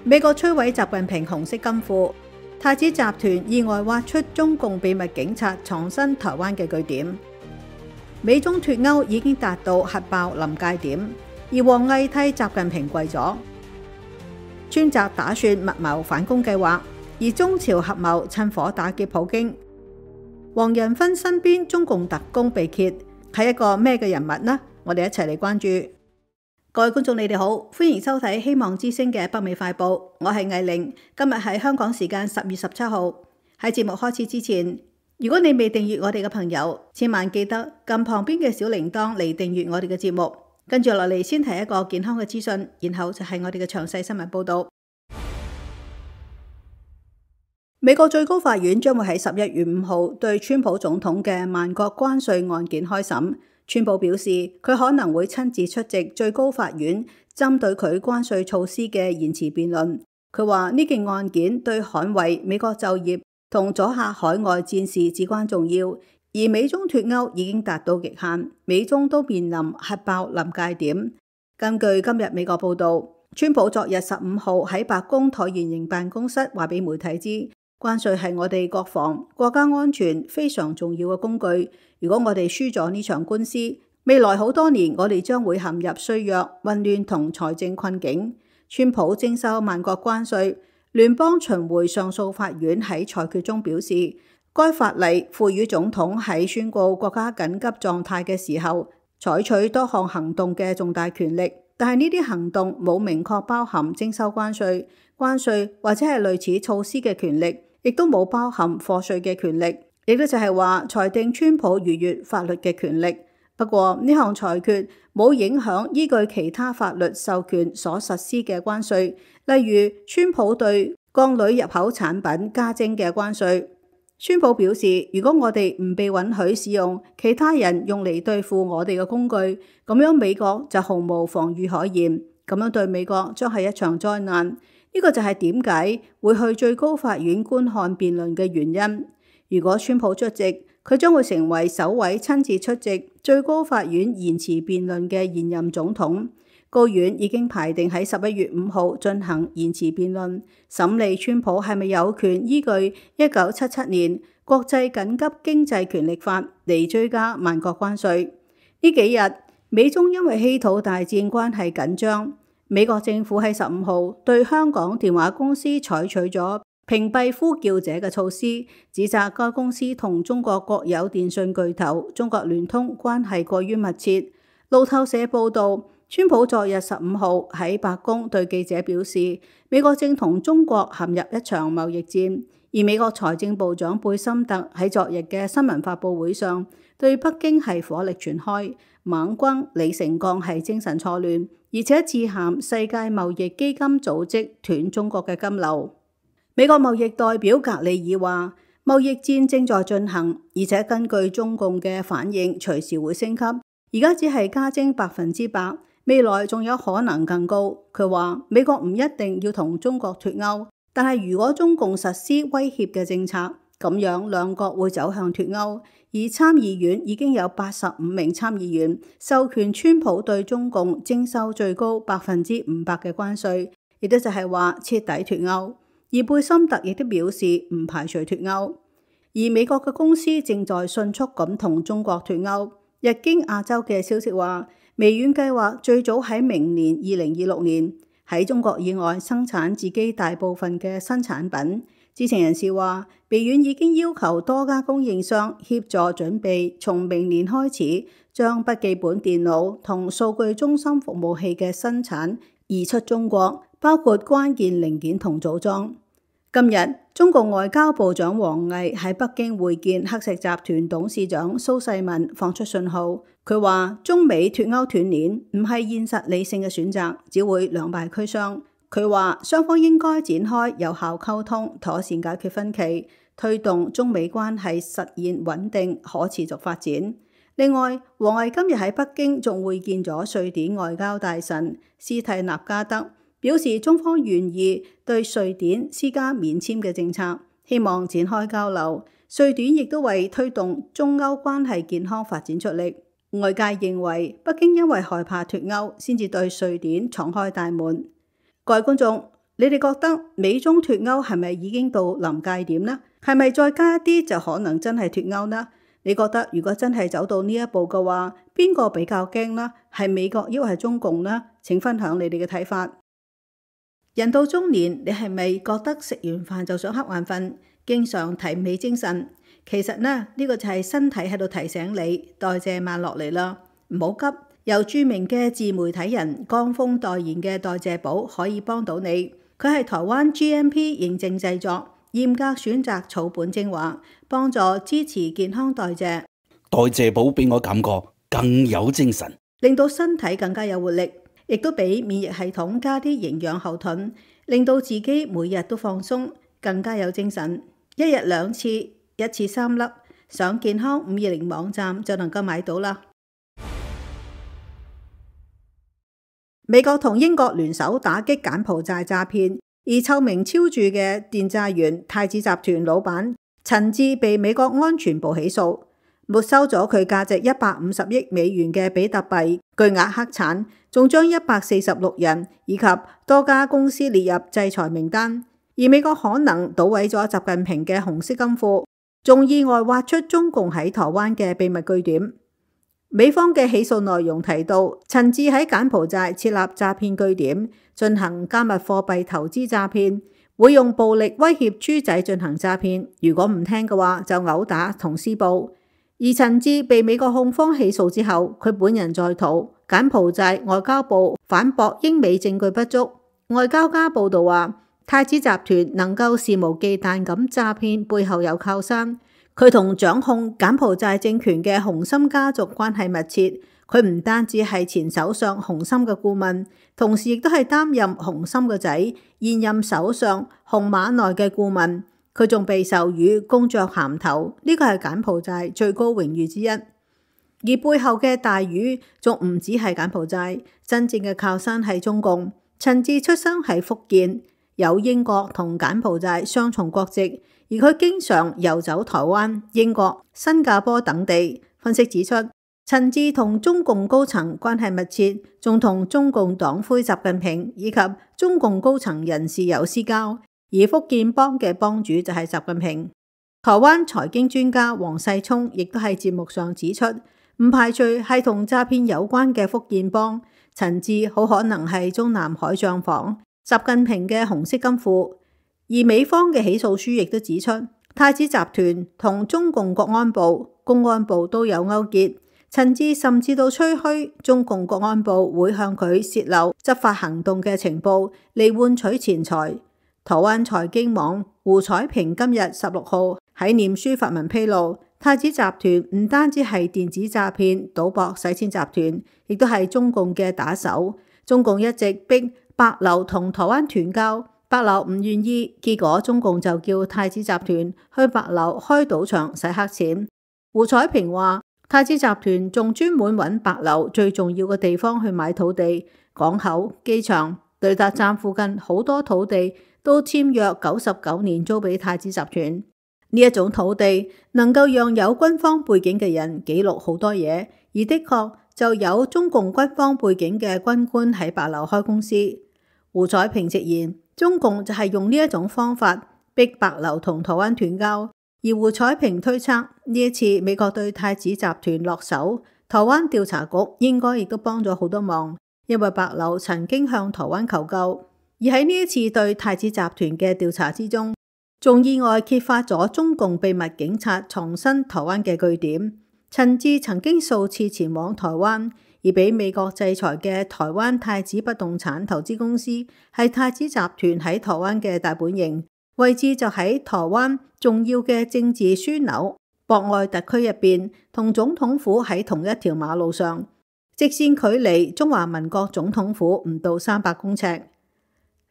美國摧毀習近平紅色金庫，太子集團意外挖出中共秘密警察藏身台灣嘅據點。美中脫歐已經達到核爆臨界點，而王毅替習近平跪咗。川習打算密謀反攻計劃，而中朝合謀趁火打劫普京。黃仁勳身邊中共特工被揭，係一個咩嘅人物呢？我哋一齊嚟關注。各位觀眾，你哋好，歡迎收睇希望之聲嘅北美快報，我係藝玲。今日係香港時間10月17號。喺節目開始之前，如果你未訂閱我哋嘅朋友，千萬記得撳旁邊嘅小鈴鐺嚟訂閱我哋嘅節目。跟住落嚟先提一個健康嘅資訊，然後就係我哋嘅詳細新聞報道。美國最高法院將會喺11月5號對川普總統嘅萬國關稅案件開審。川普表示，佢可能會親自出席最高法院針對佢關稅措施嘅言詞辯論。佢話呢件案件對捍衛美國就業同阻嚇海外戰事至關重要，而美中脫歐已經達到極限，美中都面臨核爆臨界點。根據今日美國報道，川普昨日15號喺白宮橢圓形辦公室話俾媒體知，關稅係我哋國防、國家安全非常重要嘅工具。如果我哋輸咗呢場官司，未來好多年我哋將會陷入衰弱、混亂同財政困境。川普徵收萬國關稅，聯邦巡迴上訴法院喺裁決中表示，該法例賦予總統喺宣告國家緊急狀態嘅時候採取多項行動嘅重大權力，但係呢啲行動冇明確包含徵收關稅或者係類似措施嘅權力，亦都冇包含課稅嘅權力。亦都就係話裁定川普逾越法律嘅權力。不過呢項裁決冇影響依據其他法律授權所實施嘅關稅，例如川普對鋼鋁入口產品加徵嘅關稅。川普表示，如果我哋唔被允許使用其他人用嚟對付我哋嘅工具，咁樣美國就毫無防禦可言，咁樣對美國將係一場災難。呢個就係點解會去最高法院觀看辯論嘅原因。如果川普出席，佢將會成為首位親自出席最高法院言詞辯論嘅現任總統。高院已經排定喺11月5號進行言詞辯論，審理川普係咪有權依據1977年國際緊急經濟權力法嚟追加萬國關稅。呢幾日美中因為稀土大戰關係緊張，美國政府喺15號對香港電話公司採取咗屏蔽呼叫者嘅措施，指責該公司同中國國有電信巨頭中國聯通關係過於密切。路透社報道，川普昨日15號喺白宮對記者表示，美國正同中國陷入一場貿易戰，而美國財政部長貝森特喺昨日嘅新聞發佈會上對北京係火力全開，猛轟李成鋼係精神錯亂，而且致函世界貿易基金組織斷中國嘅金流。美國貿易代表格里爾話，貿易戰正在進行，而且根據中共嘅反應，隨時會升級。而家只係加徵100%，未來仲有可能更高。佢話美國唔一定要同中國脫歐，但係如果中共實施威脅嘅政策，咁樣兩國會走向脫歐。而參議院已經有85名參議員授權川普對中共徵收最高500%嘅關稅，亦都就係話徹底脫歐。而貝森特亦都表示唔排除脫歐，而美國嘅公司正在迅速咁同中國脫歐。日經亞洲嘅消息話，微軟計劃最早喺明年2026年喺中國以外生產自己大部分嘅新產品。知情人士話，微軟已經要求多家供應商協助準備，從明年開始將筆記本電腦同數據中心服務器嘅生產移出中國，包括關鍵零件同組裝。今日，中國外交部長王毅喺北京會見黑石集團董事長蘇世民，放出信號。佢話中美脫歐斷鏈唔係現實理性嘅選擇，只會兩敗俱傷。佢話雙方應該展開有效溝通，妥善解決分歧，推動中美關係實現穩定可持續發展。另外，王毅今日喺北京仲會見咗瑞典外交大臣斯蒂納加德，表示中方願意對瑞典施加免簽嘅政策，希望展開交流。瑞典亦都為推動中歐關係健康發展出力。外界認為北京因為害怕脫歐，先至對瑞典敞開大門。各位觀眾，你哋覺得美中脫歐係咪已經到臨界點呢？係咪再加一啲就可能真係脫歐呢？你覺得如果真係走到呢一步嘅話，邊個比較驚呢？係美國抑或係中共呢？請分享你哋嘅睇法。人到中年，你係咪覺得食完飯就想瞌眼瞓，經常提唔起精神？其實呢個就係身體喺度提醒你代謝慢落嚟啦，唔好急。由著名嘅自媒體人江峰代言嘅代謝寶可以幫到你。佢係台灣 GMP 認證製作，嚴格選擇草本精華，幫助支持健康代謝。代謝寶俾我感覺更有精神，令到身體更加有活力，亦都俾免疫系統加啲營養後盾，令到自己每日都放鬆，更加有精神。一日2次，一次3粒，上健康520網站就能夠買到啦。美國同英國聯手打擊柬埔寨詐騙，而臭名昭著嘅電詐員太子集團老闆陳志被美國安全部起訴，沒收咗佢價值150億美元嘅比特幣，巨額黑產，仲將146人以及多家公司列入制裁名單。而美國可能搗毀咗習近平嘅紅色金庫，仲意外挖出中共喺台灣嘅秘密據點。美方嘅起訴內容提到，陳志喺柬埔寨設立詐騙據點，進行加密貨幣投資詐騙，會用暴力威脅豬仔進行詐騙，如果唔聽嘅話就毆打同施暴。而陳志被美國控方起訴之後，佢本人在逃，柬埔寨外交部反駁英美證據不足。外交家報道話，太子集團能夠肆無忌憚咁詐騙，背後有靠山。佢同掌控柬埔寨政權嘅洪森家族關係密切，佢唔單止係前首相洪森嘅顧問，同時亦都係擔任洪森嘅仔現任首相洪馬內嘅顧問。佢仲被授予公爵銜頭，呢個係柬埔寨最高榮譽之一。而背後嘅大魚仲唔止係柬埔寨，真正嘅靠山係中共。陳志出生喺福建，有英國同柬埔寨雙重國籍。而佢經常遊走台灣、英國、新加坡等地。分析指出，陳志同中共高層關係密切，仲同中共黨魁習近平以及中共高層人士有私交。而福建幫嘅幫主就係習近平。台灣財經專家黃世聰亦都喺節目上指出，唔排除係同詐騙有關嘅福建幫。陳志好可能係中南海帳房、習近平嘅紅色金庫。而美方嘅起訴書亦都指出，太子集團同中共國安部、公安部都有勾結。陳志甚至到吹噓中共國安部會向佢洩漏執法行動嘅情報嚟換取錢財。台灣財經網胡彩萍今日16號喺臉書發文披露，太子集團唔單止係電子詐騙、賭博、洗錢集團，亦都係中共嘅打手。中共一直逼帛琉同台灣斷交。帛琉唔願意，結果中共就叫太子集團去帛琉開賭場洗黑錢。胡彩萍話，太子集團仲專門揾帛琉最重要嘅地方去買土地，港口、機場、雷達站附近好多土地都簽約99年租俾太子集團。呢一種土地能夠讓有軍方背景嘅人記錄好多嘢，而的確就有中共軍方背景嘅軍官喺帛琉開公司。胡彩萍直言，中共就係用呢一種方法逼帛琉同台灣斷交。而胡彩萍推測，呢一次美國對太子集團落手，台灣調查局應該亦都幫咗好多忙，因為帛琉曾經向台灣求救。而喺呢一次對太子集團嘅調查之中，仲意外揭發咗中共秘密警察藏身台灣嘅據點。陳志曾經數次前往台灣，而被美國制裁嘅台灣太子不動產投資公司係太子集團喺台灣嘅大本營，位置就喺台灣重要嘅政治樞紐博愛特區入邊，同總統府喺同一條馬路上，直線距離中華民國總統府唔到300公尺。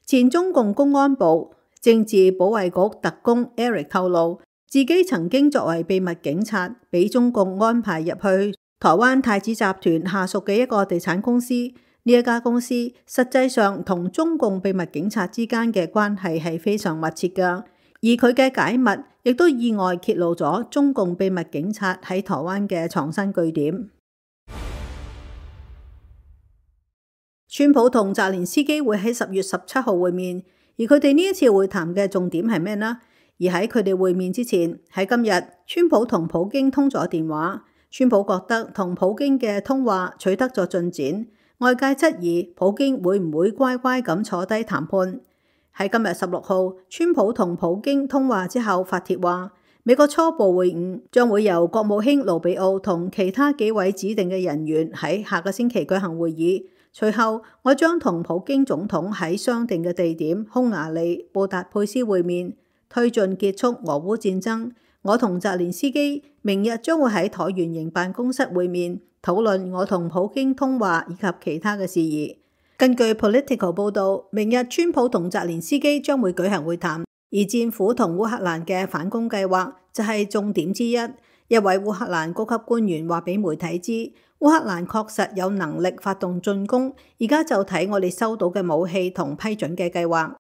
前中共公安部政治保衛局特工 Eric 透露，自己曾經作為秘密警察，俾中共安排入去台灣太子集團下屬嘅一個地產公司。呢一家公司實際上同中共秘密警察之間嘅關係係非常密切㗎，而佢嘅解密亦都意外揭露咗中共秘密警察喺台灣嘅藏身據點。川普同澤連斯基會喺10月17號會面，而佢哋呢一次會談嘅重點係咩呢？而喺佢哋會面之前，喺今日，川普同普京通咗電話。川普覺得同普京嘅通話取得咗進展，外界質疑普京會唔會乖乖咁坐低談判。喺今日16號，川普同普京通話之後發帖話，美國初步會晤將會由國務卿盧比奧同其他幾位指定嘅人員喺下個星期舉行會議。隨後，我將同普京總統喺商定嘅地點匈牙利布達佩斯會面，推進結束俄烏戰爭。我同澤連斯基明日將會喺橢圓形辦公室會面，討論我同普京通話以及其他嘅事宜。根據 Political 報導，明日川普同澤連斯基將會舉行會談，而戰斧同烏克蘭嘅反攻計劃就係重點之一。一位烏克蘭高級官員話俾媒體知，烏克蘭確實有能力發動進攻，而家就睇我哋收到嘅武器同批准嘅計劃。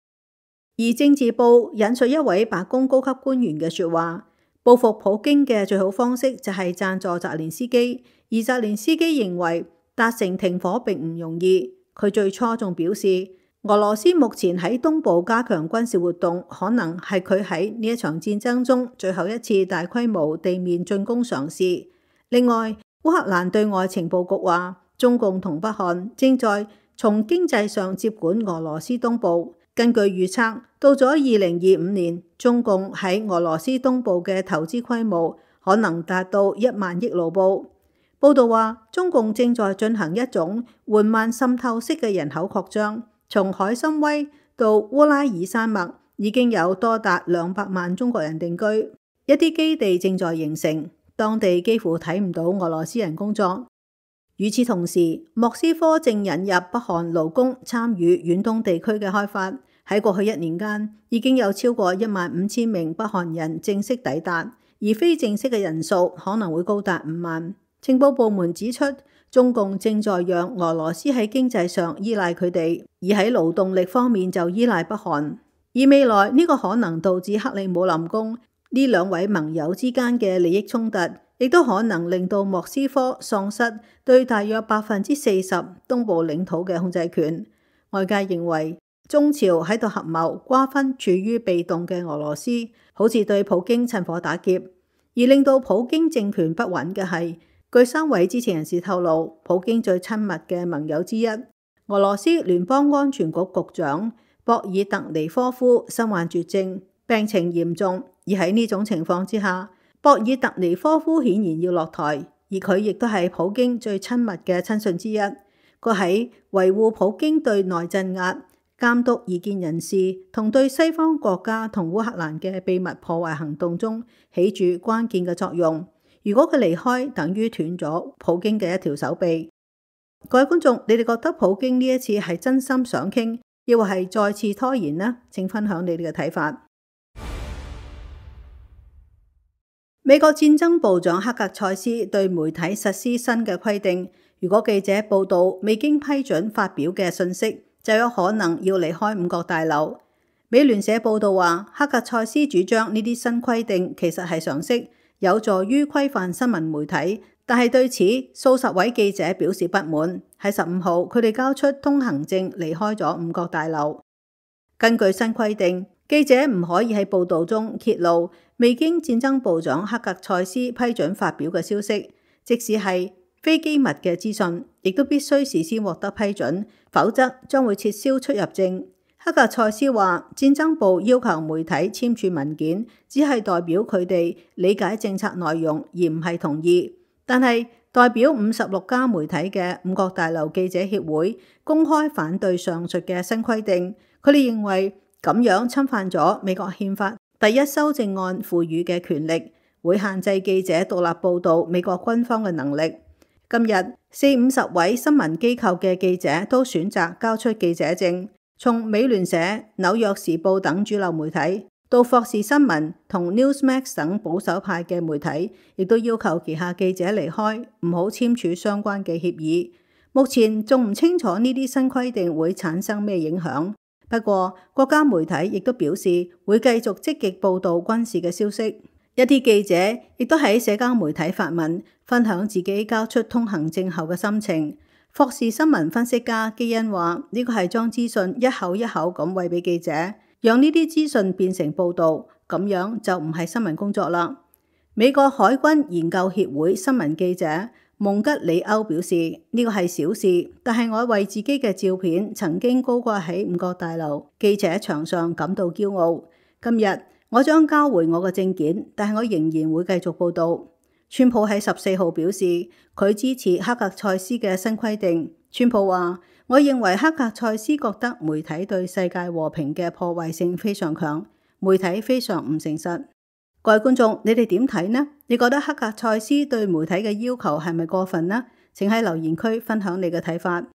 而政治報引述一位白宮高級官員嘅說話，報復普京嘅最好方式就係贊助澤連斯基，而澤連斯基認為達成停火並唔容易。佢最初仲表示，俄羅斯目前喺東部加強軍事活動，可能係佢喺呢一場戰爭中最後一次大規模地面進攻嘗試。另外，烏克蘭對外情報局話，中共同北韓正在從經濟上接管俄羅斯東部。根據預測，到咗2025年，中共喺俄羅斯東部嘅投資規模可能達到1萬億盧布。報道話，中共正在進行一種緩慢滲透式嘅人口擴張，從海參崴到烏拉爾山脈已經有多達200萬中國人定居，一啲基地正在形成，當地幾乎睇唔到俄羅斯人工作。與此同時，莫斯科正引入北韓勞工參與遠東地區嘅開發。喺過去1年間，已經有超過15000名北韓人正式抵達，而非正式嘅人數可能會高達5萬。情報部門指出，中共正在讓俄羅斯喺經濟上依賴佢哋，而喺勞動力方面就依賴北韓。而未來呢個可能導致克里姆林宮呢兩位盟友之間嘅利益衝突，亦都可能令到莫斯科喪失對大約40%東部領土嘅控制權。外界認為，中朝喺度合謀瓜分處於被動嘅俄羅斯，好似對普京趁火打劫。而令到普京政權不穩嘅係，據3位知情人士透露，普京最親密嘅盟友之一，俄羅斯聯邦安全局局長博爾特尼科夫身患絕症，病情嚴重。而喺呢種情況之下，博爾特尼科夫顯然要落台，而佢亦都係普京最親密嘅親信之一。佢喺維護普京對內鎮壓、監督異見人士同對西方國家同烏克蘭嘅秘密破壞行動中起住關鍵嘅作用。如果佢離開，等於斷咗普京嘅一條手臂。各位觀眾，你哋覺得普京呢一次係真心想傾，抑或係再次拖延呢？請分享你哋嘅睇法。美國戰爭部長克格塞斯對媒體實施新嘅規定，如果記者報道未經批准發表嘅信息，就有可能要離開五角大樓。美聯社報道話，克格塞斯主張呢啲新規定其實係常識，有助於規範新聞媒體，但係對此數十位記者表示不滿。喺15號，佢哋交出通行證離開咗五角大樓。根據新規定，記者唔可以喺報道中揭露未經戰爭部長克格塞斯批准發表嘅消息，即使係非機密嘅資訊，亦都必須事先獲得批准，否則將會撤銷出入證。克格塞斯話，戰爭部要求媒體簽署文件，只係代表佢哋理解政策內容，而唔係同意。但係代表56家媒體嘅五角大樓記者協會公開反對上述嘅新規定，佢哋認為咁樣侵犯咗美國憲法第1修正案賦予嘅權力，會限制記者獨立報導美國軍方嘅能力。今日40-50位新聞機構嘅記者都選擇交出記者證，從美聯社、紐約時報等主流媒體到霍士新聞同 Newsmax 等保守派嘅媒體，亦都要求旗下記者離開，唔好簽署相關嘅協議。目前仲唔清楚呢啲新規定會產生咩影響，不過國家媒體亦都表示會繼續積極報導軍事嘅消息。一啲記者亦都喺社交媒體發文，分享自己交出通行證後嘅心情。霍士新聞分析家基恩話：呢個係將資訊一口一口咁餵俾記者，讓呢啲資訊變成報導，咁樣就唔係新聞工作啦。美國海軍研究協會新聞記者蒙吉里歐表示，呢個係小事，但係我為自己嘅照片曾經高掛喺五角大樓記者牆上感到驕傲。今日我將交回我嘅證件，但係我仍然會繼續報導。川普喺14號表示，佢支持黑格塞斯嘅新規定。川普話：我認為黑格塞斯覺得媒體對世界和平嘅破壞性非常強，媒體非常唔誠實。各位觀眾，你哋點睇呢？你覺得黑格塞斯對媒體嘅要求係咪過分呢？請喺留言區分享你嘅睇法。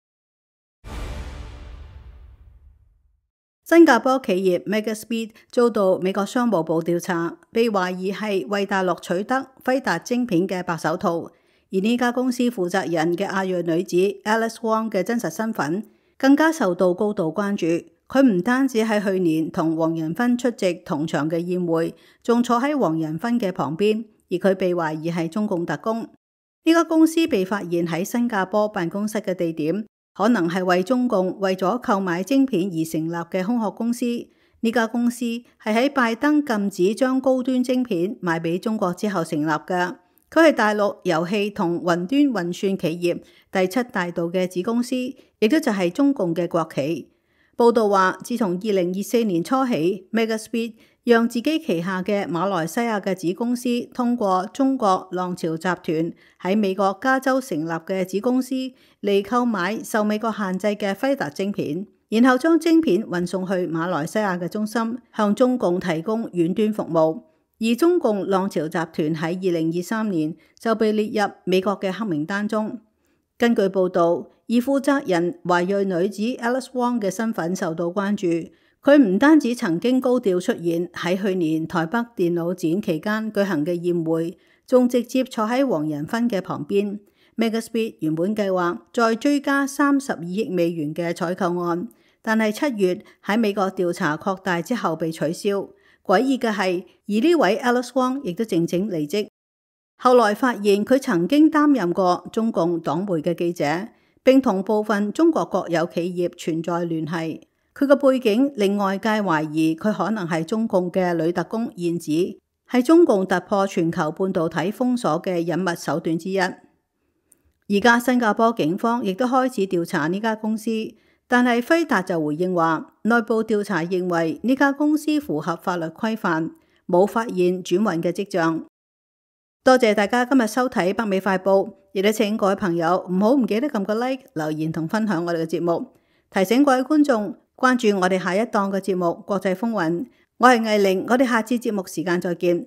新加坡企業 Megaspeed 遭到美國商務部調查，被懷疑係為大陸取得輝達晶片嘅白手套。而呢家公司負責人嘅亞裔女子 Alice Wong 嘅真實身份更加受到高度關注。佢唔單止喺去年同黃仁勳出席同場嘅宴會，仲坐喺黃仁勳嘅旁邊，而佢被懷疑係中共特工。呢家公司被發現喺新加坡辦公室嘅地點，可能係為中共為咗購買晶片而成立嘅空殼公司。呢家公司係喺拜登禁止將高端晶片賣俾中國之後成立嘅。佢係大陸遊戲同雲端運算企業第7大道嘅子公司，亦都就係中共嘅國企。報道話，自從2024年初起 ，Megaspeed 讓自己旗下嘅馬來西亞嘅子公司通過中國浪潮集團喺美國加州成立嘅子公司嚟購買受美國限制嘅輝達晶片，然後將晶片運送去馬來西亞嘅中心，向中共提供遠端服務。而中共浪潮集團喺2023年就被列入美國嘅黑名單中。根據報導，而負責人華裔女子 Alice Wong 嘅身份受到關注。佢唔單止曾經高調出現喺去年台北電腦展期間舉行嘅宴會，仲直接坐喺黃仁勳嘅旁邊。Megaspeed 原本計劃再追加32億美元嘅採購案，但係7月喺美國調查擴大之後被取消。詭異嘅係，而呢位 Alice Wong 亦都靜靜離職。後來發現佢曾經擔任過中共黨媒嘅記者，並同部分中國國有企業存在聯繫。佢嘅背景令外界懷疑佢可能係中共嘅女特工燕子，係中共突破全球半導體封鎖嘅隱密手段之一。而家新加坡警方亦都開始調查呢家公司，但係輝達就回應話，內部調查認為呢家公司符合法律規範，冇發現轉運嘅跡象。多謝大家今日收睇北美快報，亦都請各位朋友唔記得撳個 like、留言同分享我哋嘅節目。提醒各位觀眾關注我哋下一檔嘅節目《國際風雲》。我係藝玲，我哋下次節目時間再見。